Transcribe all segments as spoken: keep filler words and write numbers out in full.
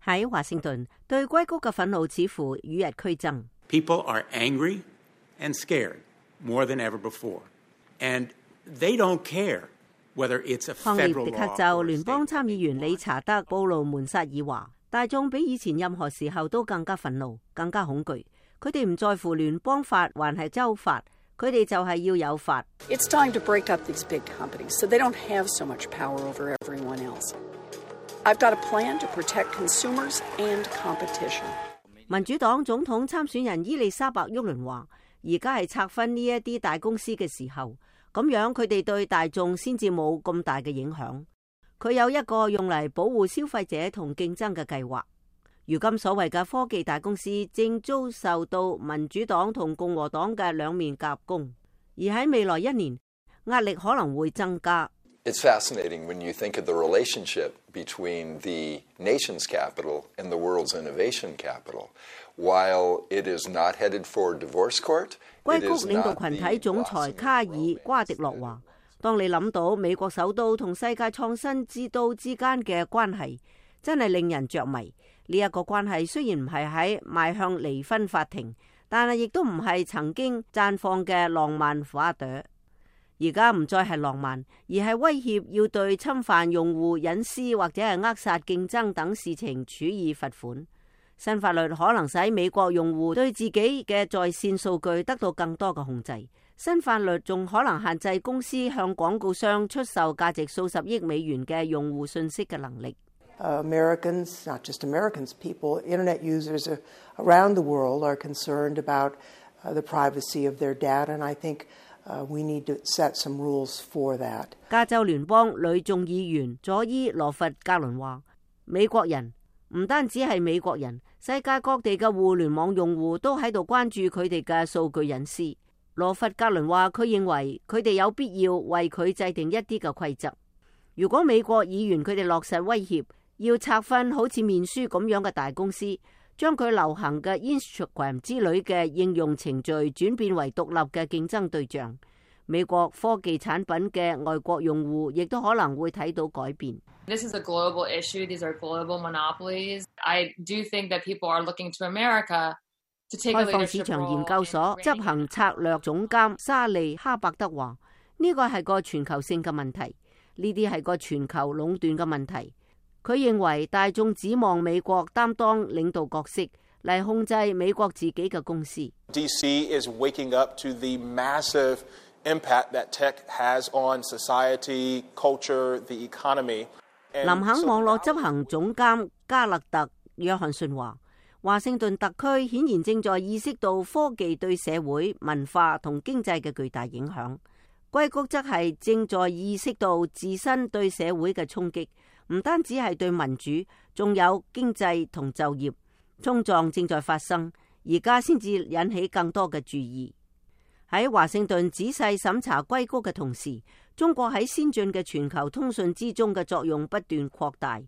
喺華盛頓，對硅谷嘅憤怒似乎與日俱增。People are angry and scared more than ever before, and they don't care whether it's a federal law. 康涅狄克州聯邦參議員理查德·布魯門薩爾話：大眾比以前任何時候都更加憤怒、更加恐懼。佢哋唔在乎聯邦法還係州法，佢哋就係要有法。It's time to break up these big companies so they don't have so much power over everyone else. I've got a plan to protect consumers and competition. 民主黨總統參選人伊麗莎白·沃倫話：而家係拆分呢一啲大公司嘅時候，咁樣佢哋對大眾先至冇咁大嘅影響。佢有一個用嚟保護消費者同競爭嘅計劃。如今所謂嘅科技大公司正遭受到民主黨同共和黨嘅兩面夾攻，而喺未來一年壓力可能會增加。It's fascinating when you think of the relationship between the nation's capital and the world's innovation capital. While it is not headed for divorce court, 硅谷領導群體總裁卡爾瓜迪諾話：當你諗到美國首都同世界創新之都之間嘅關係，真係令人着迷。呢一個關係雖然唔係喺邁向離婚法庭，但係亦都唔係曾經綻放嘅浪漫花朵。而家唔再係浪漫，而係威脅要對侵犯用戶隱私或者係扼殺競爭等事情處以罰款。新法律可能使美國用戶對自己嘅在線數據得到更多嘅控制。新法律仲可能限制公司向廣告商出售價值數十億美元嘅用戶信息嘅能力。Uh, Americans, not just Americans, people, internet users around the world are concerned about uh, the privacy of their data, and I think uh, we need to set some rules for that. 加州聯邦女眾議員佐伊羅佛格倫話：美國人唔單止係美國人，世界各地嘅互聯網用戶都喺度關注佢哋嘅數據隱私。羅佛格倫話：佢認為佢哋有必要為佢制定一啲嘅規則。如果美國議員佢哋落實威脅，要拆分好似面書咁樣嘅大公司，將佢流行嘅 Instagram 之類嘅應用程序轉變為獨立嘅競爭對象，美國科技產品嘅外國用戶亦都可能會睇到改變。This is a global issue. These are global monopolies. I do think that people are looking to America to take a leadership role. 開放市場研究所執行策略總監沙利哈伯德話：呢個係個全球性嘅問題，呢啲係個全球壟斷嘅問題。佢認為大眾指望美國擔當領導角色嚟控制美國自己嘅公司。D C is waking up to the massive impact that tech has on society, culture, the economy. 林肯網絡執行總監加勒特約翰遜話：華盛頓特區顯然正在意識到科技對社會、文化同經濟嘅巨大影響。硅谷則係正在意識到自身對社會嘅衝擊。唔單止係對民主，仲有經濟同就業衝撞正在發生，而家先至引起更多嘅注意。喺華盛頓仔細審查硅谷嘅同時，中國喺先進嘅全球通訊之中嘅作用不斷擴大，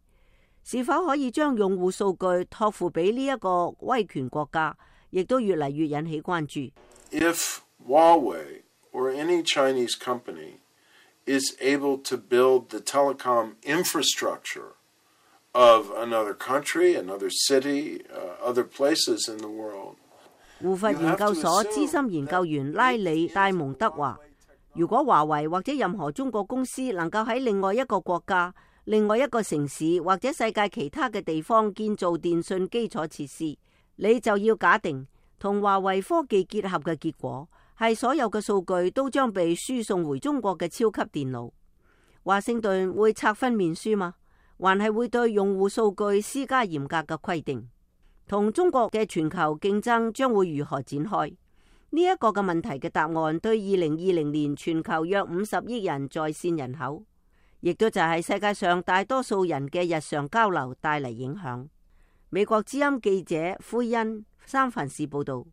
是否可以將用戶數據託付俾呢一個威權國家，亦都越嚟越引起關注。If Huawei or any Chinese company is able to build the telecom infrastructure of another country, another city, uh, other places in the world. 胡佛研究所資深研究員拉里戴蒙德話：如果華為或者任何中國公司能夠喺另外一個國家、另外一個城市或者世界其他嘅地方建造電信基礎設施，你就要假定同華為科技結合嘅結果係所有嘅數據都將被輸送回中國嘅超級電腦。華盛頓會拆分面書嗎？還係會對用戶數據施加嚴格嘅規定？同中國嘅全球競爭將會如何展開？呢、這、一個嘅問題嘅答案對二零二零年全球約五十億人在線人口，亦都就係世界上大多數人嘅日常交流帶嚟影響。美國之音記者灰恩三藩市報道。